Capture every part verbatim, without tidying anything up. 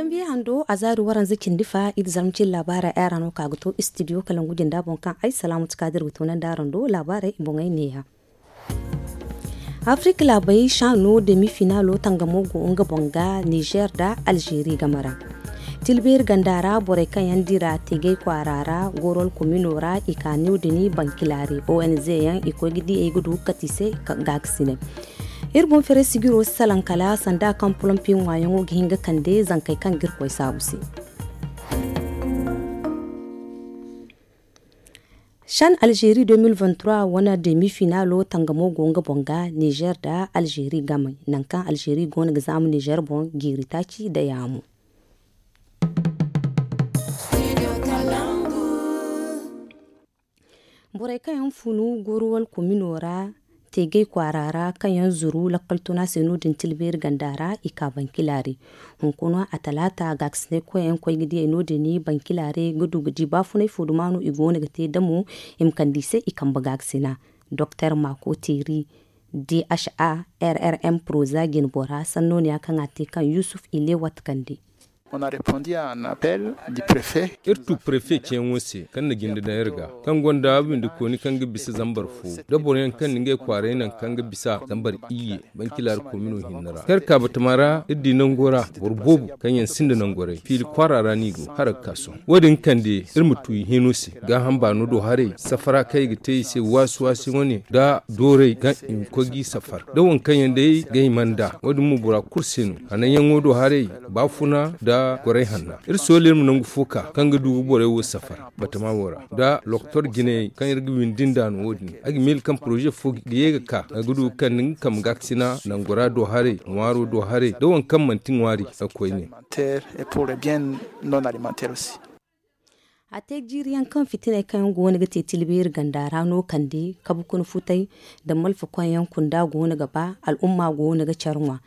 Zambiya hando a zaari waranza cindi fa iri zarma cine laabaarey ay ra no ka ga to istidiyo kalangu jinda boŋ kaŋ ay salaamatu kaadir ga toonandi araŋ do laabaarey i boŋey neeya. Afirka laabey saano demi finaalo tangamo go nga boŋ ga nizer nda alzeeri game ra. Tilbeeri ganda ra borey kaŋ yaŋ dira tegey kwaara ra goorol komino ra i ka no- din bankilaari onz yaŋ i koy ga di ay ga du kati se gaakasinay. Iri boŋ fere sijiro si salaŋ kala sanda kaŋ polompi ŋwaayaŋo ga hin ga kande zankey kaŋ ga iri koy saabu se. Shan alzeeri deux mille vingt-trois wane demi finaalo tangamo go nga boŋ ga nizer nda alzeeri game nangu kaŋ alzeeri go no ga zaamu nizer boŋ jiiri taaci nda yaamu. Borey kaŋ yaŋ funu goruwal komino ra tegey kwaara ra kaŋ yaŋ zuru lakkal tuna se no- din tilbeeri ganda ra i ka bankilaari. Hunkuna a talaata gaakasinay koyyaŋ koy ga diyey no- din bankilaari ga du ga di baafunay fo duma no i go no ga te damo i ma kande i se i kambe gaakasina. Doktor maako teeri dha rrm proza jinbora sannooniya kaŋ a te kaŋ yusuf ilewat kande. Iri tu prefe ceeyaŋo se kaŋ na jinde daŋ iri ga kaŋ gonda windikooni kaŋ ga bisa zambar fo da boro yaŋ kaŋ na ngey kwaaray naŋ kaŋ ga bisa zambar iyye bankilaari komino hinne ra kaŋ iri ka batama ra iri di nango ra boro boobo kaŋ yaŋ sinda nangoray fiili kwaara ra no i go hala ga ka sohõ wo- din kande iri ma tu i hino se gaaham baano do haray safara kaŋ i ga te i se waasi waasi wane nda dooray kaŋ i ma koy g'i safar da waŋ kaŋ yaŋ day ga hima nd'a wo- din mo bora kulu se no hananyaŋo do haray baafuna nda goray hanna iri sooley ma nangu fo ka kaŋ ga du ga borey wo safar batama wo ra nda lokotor jinayey kaŋ iri ga windi nd'a no wo- din a ga miila kaŋ poroze fo ga ye ga ka a ga du ga kande nga kambe gaakasina nangora do haray ŋwaaro do haray da waŋ kaŋ manti ŋwaari ga koyne. A te jiiri yaŋ kaŋ fitiney kaŋ yaŋ go no ga te tilbeeri ganda ra no kande kabe kuna futay nda malfa koyyaŋ kunda go no ga ba al'umma go no ga care ŋwa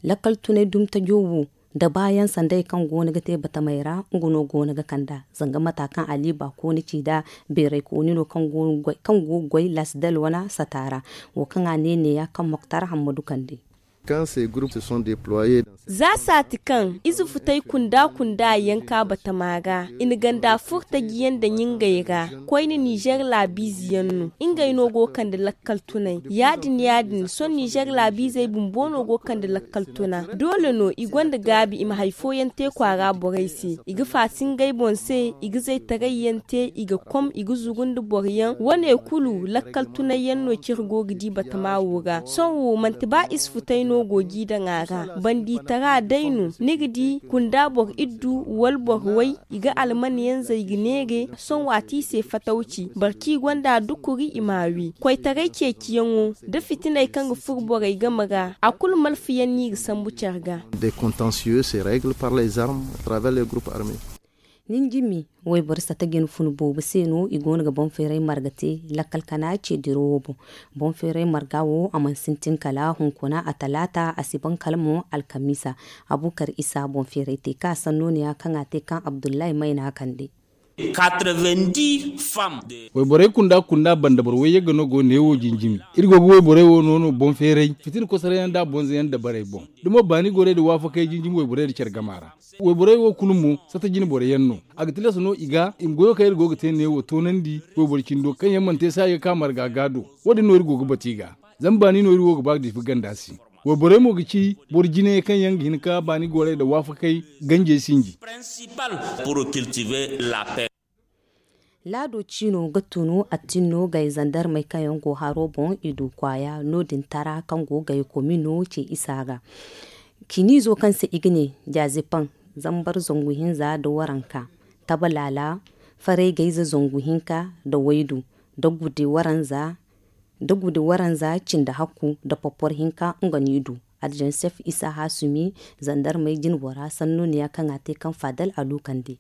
lakkal tunay dumi tajo wo nda baayaŋ sanday kaŋ go no ga te batamey ra nga no go no ga kand'a zanga mata kaŋ ali baako ni ci nda beeraykooni no kaŋ go ga goy lasidal wane sata ra wo kaŋ a ne neeya kaŋ moktar hammadu kande. Za saati kaŋ ize futay kunda kunda yaŋ ka batama ga i na ganda furtaji yaŋ daŋ ngey ra koyne nizer laabiize yaŋ no ngey no go ga kande lakkal tunay ya- din ya- din sohõ nizer laabiizey bumbo no go ga kande lakkal tuna doole no i gonda gaabi i ma hari fooyaŋ te kwaara borey se i ga faasi ngey boŋ se i ga zaytaray yaŋ te i ga kom i ga zuru nda boro yaŋ wane kulu lakkal tunay yaŋ no cire go ga di batama wo ra sohõ wo manti ba ize futay no go g'i daŋ a ra bandiitara day no ni ga di kunda boro iddu wala boro way i ga alman yaŋ zay ga neere sohõ waati i se fatawci boro kaŋ i gonda dukuri i m'a wi koytaray ceeciyaŋo da fitiney kaŋ ga furo borey game ra a kulu malfa yaŋ no i ga sambu care ga. Des contentieux se règle par les armes à travers les groupes armés. Ninjimi wayboro sata jine funu boobo se no i go no ga boŋ feeray marga te lakkal kana ce diro wo boŋ. Boŋ feeray marga wo a mana sintin kala hunkuna a talaata a si ban kala mo alkamiisa. Abukar isa boŋ feeray te kaŋ a sanno ne ya kaŋ a te kaŋ abdullahi mayna kande. Wayborey kunda kunda banda boro wayyagga no go neewo jinjimi iri go ga wayborey wo no no boŋ feeray fitina kosorayaŋ nda bonzayaŋ dabarey boŋ. Da mo baani gorey da waafakey jinjimi wayborey da care gama ra wayborey wo kulu mo sata jine boroyaŋ no. A ga tilas no i ga i ma goyo kaŋ iri go ga te neewo toonandi wayboro cindo kaŋ yaŋ mana te se a ga ka marga ga do. Wo- din no iri go ga batu i ga zama baani no iri wo ga ba ga diifi ganda se. Wayborey mo ga ci boro jinayey kaŋ yaŋ ga hin ka baani gorey nda waafakey ganjey sinji. Laado ciino ga tunu attinno gay zandarmey kaŋ yaŋ go haro boŋ i du kwaaya no- din tara kaŋ go gay komino ce isa ga. Ciniizo kaŋ se i ga ne jazipaŋ zambar zangu hinza nda waranka tabalaala faray gayze zangu hinka nda waydu nda gude waranza nda gude waranza cindi hakku nda popor hinka nga no i du. Adjansef isa hasumi zandarmey jinbora sanno ne ya kaŋ a te kaŋ fadal a lukande.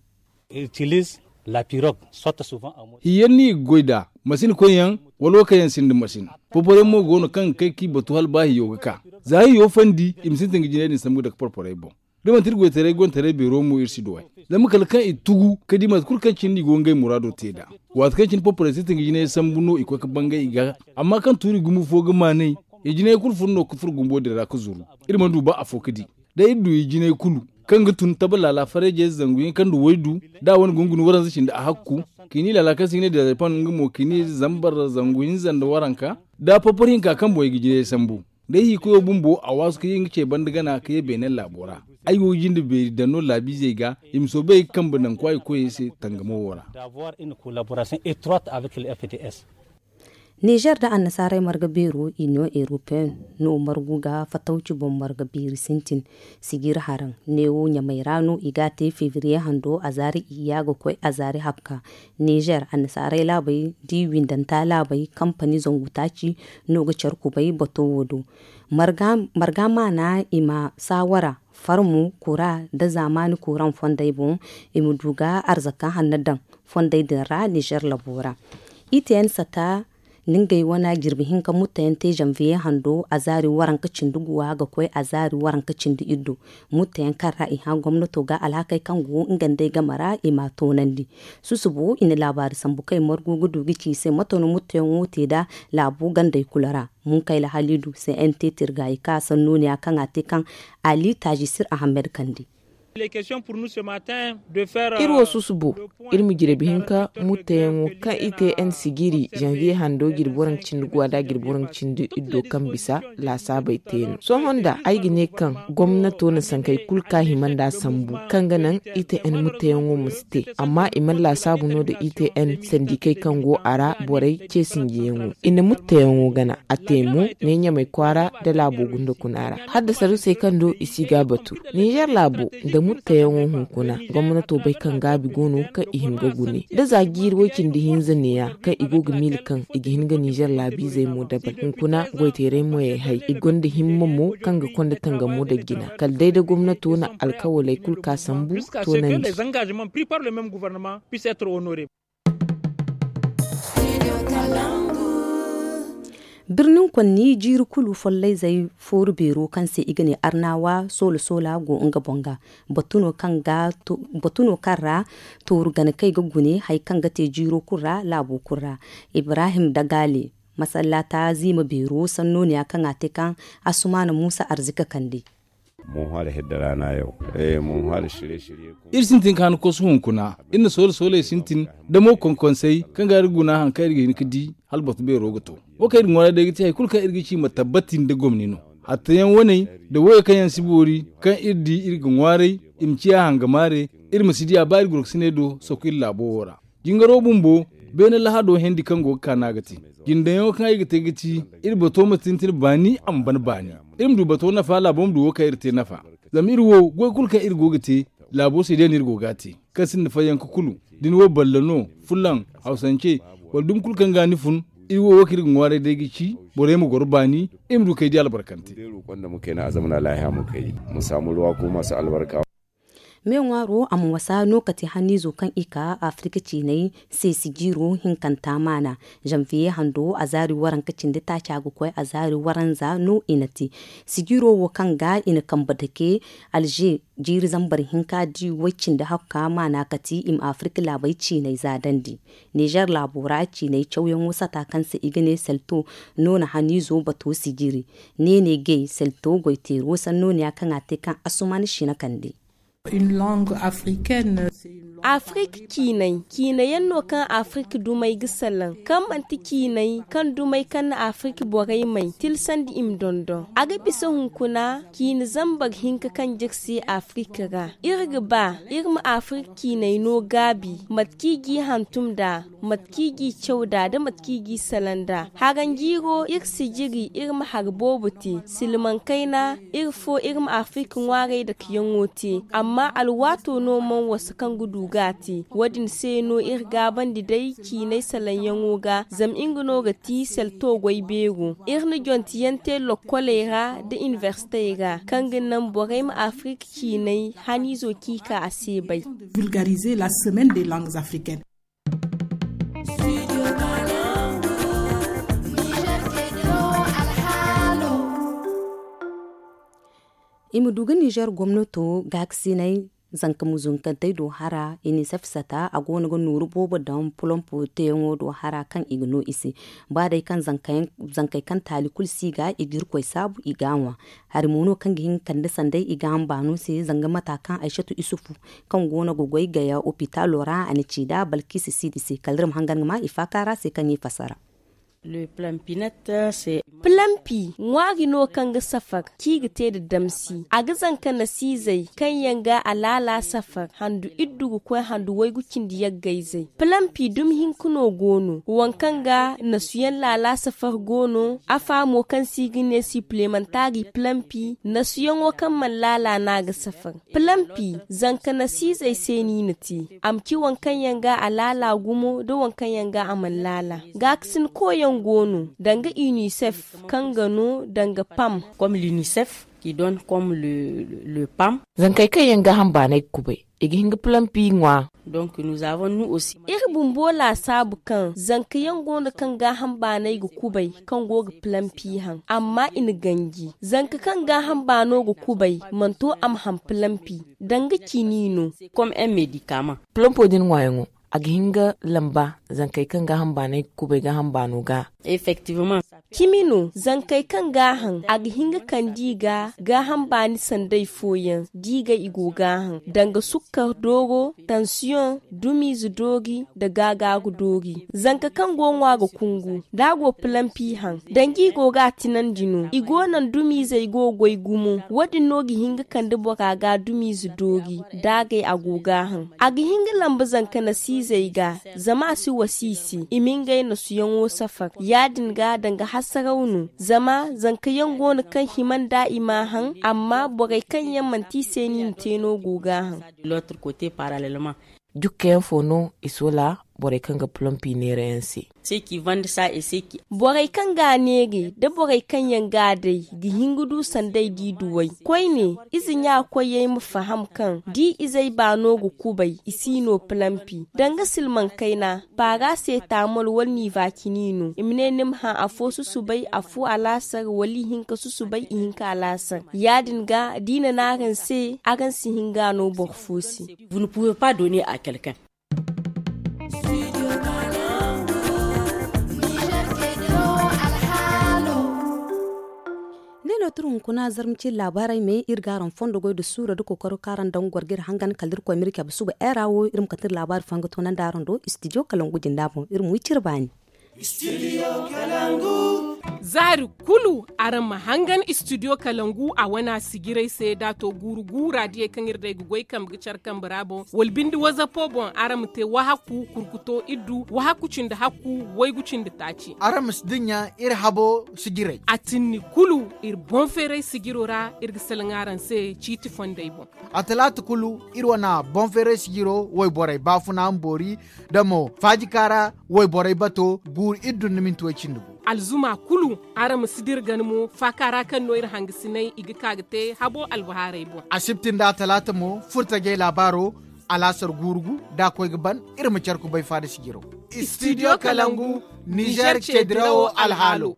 Hiyaŋ no i ga goy nd'a masin koyyaŋ wala wo kaŋ yaŋ sinda masin. Poporay mo go no kaŋ ga kay k'i batu hala ba hiyo ga ka za hiyo fandi i ma sintin ga jinay din sambu dake porporey boŋ. Da manti iri goytaray gontaray beero mo iri si duw'ey zama kala kaŋ i tugu ka di mate kulu kaŋ cine no i go ngey muraado te nd'a. Waati kaŋ cine porporey sintin ga jinay sambu no i koy ka bangay i ga amma kaŋ tuuri gumo fo ga maanay i jinay kulu furo no ga furo gumbo din ra ga zuru. Iri mana du ba afo ga di da iri du i jinay kulu kaŋ ga tun taba laala farayjey zangu hinka nda waydu, da a wane gunguni waranza cindi a hakku, kini laala kaŋ se i ga ne dezarpan nga mo kini zambar zangu hinza nda waranka, da a porpor hinka kaŋ boŋ i ga jinayey sambu. Day hiikoyo bumbo a waasu ka ye nga ce banda gana ka ye beene laabo ra. Ay go ga jinde beeri daŋ no laabiizey ga, i ma soobay ga kambe naŋ kwaayi koyey se tangamo wo ra. Nizer nda annasaarey marga beero, union europeen no margu ga fatawci boŋ marga beeri sintin. Sijir haraŋ neewo ɲamey ra no i ga a te febriye hando azaari iyya ga koy azaari hakka. Nizer annasaarey laabey da i windanta laabey kampani zangu taaci no ga care kubay bato wo do. Marga maana i ma saawara farmu kura nda zaamaani kuraŋ fondey boŋ, i ma du ga arzaka hanno daŋ fondey din ra nizer labo ra. I te yaŋ sata nda ngey wane jirbi hinka mutteyaŋ te zanviye hando azaari waranka cindi guwa ga koy azaari waranka cindi iddu. Mutteyaŋ kaŋ ra i hã gomnato ga alhakey kaŋ go nga nd'ey game ra i m'a toonandi. Susubo i na laabaari sambu kaŋ i margu ga du ga ci i se mate no mutteyaŋo te nd'a laabo gandey kulu ra. Munkayla haliidu se n te tirgaayi ka sannooniya kaŋ a te kaŋ ali taajisir ahammed kandi. Iri wo susubo iri ma jirbi hinka mutteyaŋo kaŋ i te n sijiri zanviye hando jirbi waranka cindi guwa nda jirbi waranka cindi iddo kaŋ bisa laasaabey te no. Sohõ nda ay ga ne kaŋ gomnato na sankey kulu ka hima nda sambu kaŋ ga naŋ i te n mutteyaŋo ma si te. Amma i mana laasaabu no nda i te n sandikey kaŋ go a ra borey ce sinjiyaŋo i na mutteyaŋo gana a te mo ne ɲamey kwaara nda laabo gunda kuna ra. Haddasa rusey kaŋ do i si ga batu nizer laabo nda mutteyaŋo hunkuna gomnato bay kaŋ gaabi go no kaŋ i hin ga gune da za jiiri way-cindi hinza neeya kaŋ i go ga miila kaŋ i ga hin ga nizer laabiizey mo dabal hunkuna goyteeray mo yay hay i gonda himma mo kaŋ ga konda tangamo nda jina kala day da gomnato na alkawaley kulu ka sambu toonandi. Birnin konni jiiri kulu follayzey fooru beero kaŋ se i ga ne arnawa soola soola go nga boŋ ga batu no kaŋ ra tooru gana kaŋ i ga gune hari kaŋ ga te jiiro kulu ra laabo kulu ra. Ibrahim dagaale masallaata ziima beero sannooniya kaŋ a te kaŋ asumaana muusa arzika kande. Iri sintin ka han kosu hunkuna iri na soola sooley sintin damo konkonsey kaŋ ga iri guna hari kaŋ iri ga hin ga di hala batu beero ga to. Wo kaŋ iri ga ŋwaaray day ga ti hari kulu kaŋ iri ga ci ma tabbati nda gomni no. Hattayaŋ waney nda woyey kaŋ yaŋ si boori kaŋ iri di iri ga ŋwaaray i ma ciya hangamaare. Iri ma si diya ba iri gorokasiney do soko iri laabo wo ra. Jingaro bumbo beene lahado hendi kaŋ go ga ka no a ga te. Jindayaŋo kaŋ ay ga te ga ci iri bato ma sintin baani a ma ban baani. Iri ma du bato nafa laabo ma du wo kaŋ iri te nafa. Zama iri wo goy kulu kaŋ iri go ga te laabo se day no iri go ga a te. Kaŋ sinda fayyanka kulu da ni wo balle no, fullaŋ, hawsance, wala dumi kulu kaŋ ga ni fun. Iri wo wo kaŋ iri ga ŋwaaray day ga ci borey ma goro baani iri ma du kay di albarkante. Me ŋwaaro a ma wasa no kate haniizo kaŋ i ka afirika ciinay se sijiiro hinkanta maana. Zanviye hando azaari waranka cindi taaca ga koy azaari waranza no i na te. Sijiiro wo kaŋ ga i na kambe dake alze jiiri zambar hinka di way cindi hakka maana kate i ma afirika laabey ciinay zaadandi. Nizer laabo ra ciinay cawyaŋo sata kaŋ se i ga ne selto no na haniizo bato sijiri. Neene gay selto goyteero sannooniya kaŋ a te kaŋ asuman sina kande. Afrik ciinay ciinayaŋ no kaŋ afrik dumey ga salaŋ kaŋ manti ciinay kaŋ dumey kaŋ na afrik borey may tilsandi i ma dondon a ga bisa hunkuna ciine zambar hinka kaŋ jirsi afrik ra. Iri ga ba iri ma afrik ciinay no gaabi mate kaŋ i g'i hantum nd'a, mate kaŋ i g'i caw nd'a da mate kaŋ i g'i salaŋ nd'a. Haranjiiro iri si jiri iri ma hari boobo te silmaŋ kayna. Iri fo iri ma afrik ŋwaaray dakeyaŋo te amma alwaato no mana wasu kaŋ ga du ga a te. Wo- din se no iri gaabandi day ciinay salaŋyaŋo ga zama nga no ga ti selto goy beero. Iri na jontiyaŋ te lokkoley ra nda iniversitey ra kaŋ ga naŋ borey ma afrik ciinay haniizo kaŋ i ka a se bay. I ma du ga nizer gomnato gaakasinay Zanka muzunkantey do hara, inisef sata a go no ga nooru boobo daŋ polompo teeyaŋo do hara kaŋ i ga no i se. Ba day kaŋ zankey kaŋ taali kulu si ga i ga irkoy saabu i ga a ŋwa. Hari mo no kaŋ ga hin ga kande sanday i ga hamba no se zanga mata kaŋ aysatu isufu, kaŋ go no ga goy gaya opitaalo ra a na ci nd'a balkisi siidi se kala iri ma hangan ga ma i faaka ra se kaŋ i fasara. Pilampi ŋwaari no kaŋ ga safar kaŋ i ga te nda damsi a ga zanka nasiizey kaŋ yaŋ ga alaala safar handu iddu ga koy handu waygu cindi yaggayzey pilampi dumi hinka no go no waŋ kaŋ ga nasuyaŋ laala safar go no. Afa mo kaŋ se i ga ne sipilemantaari pilampi nasuyaŋo kaŋ mana laala no a ga safar. Pilampi zanka nasiizey se no i na te a ma ci waŋ kaŋ yaŋ ga alaala gumo nda waŋ kaŋ yaŋ ga a mana laala. Gaakasin koyaŋ go no danga inisef kaŋ ga no danga pam. Zankey kaŋ yaŋ gaaham baanay ga kubay i ga hin ga pilampi ŋwa. Iri bumbo laasaabu kaŋ zanka yaŋ go no kaŋ gaaham baanay ga kubay kaŋ go ga pilampi haŋ amma i na ganji zanka kaŋ gaaham baano ga kubay mana to a ma haŋ pilampi. Danga cini no. Pilampo din ŋwaayaŋo a ga hin ga lamba zankey kaŋ gaaham baanay ga kubay gaaham baano ga. Cimi no zankey kaŋ ga a haŋ a ga hin ga kande i ga gaaham baani sanday fooyaŋ da i ga i go ga a haŋ danga sukkar dooro tansiyoŋ dumiize doori nda gaagaaru doori. Zanka kaŋ go ŋwa ga kungu da a go pilampi haŋ danga i go ga a tinandi no i go naŋ dumiizey go ga goy gumo. Wo- din no ga hin ga kande bora ga dumiize doori da a gay a go ga a haŋ. A ga hin ga lamba zanka nasiizey ga zama a si wasa i se i ma ngey nasuyaŋo safar ya- din ga danga hasaraw no zama zanka yaŋ go no kaŋ hima nda i m'a haŋ amma borey kaŋ yaŋ manti i se no i na te no go ga a haŋ. Jukka yaŋ fo no i soola borey kaŋ ga polompi neera yaŋ se. Borey kaŋ ga a neere nda borey kaŋ yaŋ ga a day ga hin ga du sanday da i duw'ey koyne. Ize ɲa koyey ma faham kaŋ da i izey baano ga kubay i si no pilampi danga silmaŋ kayna. Paara se taamol wala niiva cini no i ma ne ni ma hã afo susubay afo alaasar wala ihinka susubay ihinka alaasar ya- din ga da i na ne araŋ se araŋ si hin ga a no boro fo se. Ne no tira hunkuna zarma ciiri laabaarey me iri ga araŋ fondo goy nda suura nda kookaro kaŋ araŋ daŋ ga goro ga iri hangan kala iri koy ma iri cabe suba era wo iri ma kate iri laabaari fooyaŋ ga toonandi araŋ do istidiyo kalangu jinda boŋ iri ma wi cire baani. Zaari kulu araŋ ma hangan istidiyo kalangu a wana sijirey se da a to guuru guura diyey kaŋ iri day ga goy kambe ga care kambe ra boŋ wala binde wazapo boŋ araŋ ma te wahaku kurkuto iddu wahaku cindi hakku waygu cindi taaci. Araŋ ma si dinya iri habo sijirey. A tinni kulu iri boŋ feeray sijiro ra iri ga salaŋ araŋ se ciiti fondey boŋ. A talaata kulu iri wane boŋ feeray sijiro wayborey baafuna ma boori da mo faajika ra wayborey bato guuru iri dunna minti way cindi gu. Alzuma kulu araŋ ma si dira gana mo faaka ra kaŋ no iri hangasinay i ga ka ga te habo albahaarey boŋ. Asibti nda talaata mo furtajey laabaaro alaasar guuru gu da a koy ga ban iri ma care kubay faada sijiro. Istidiyo kalangu nizer ceedirawo alhaalo.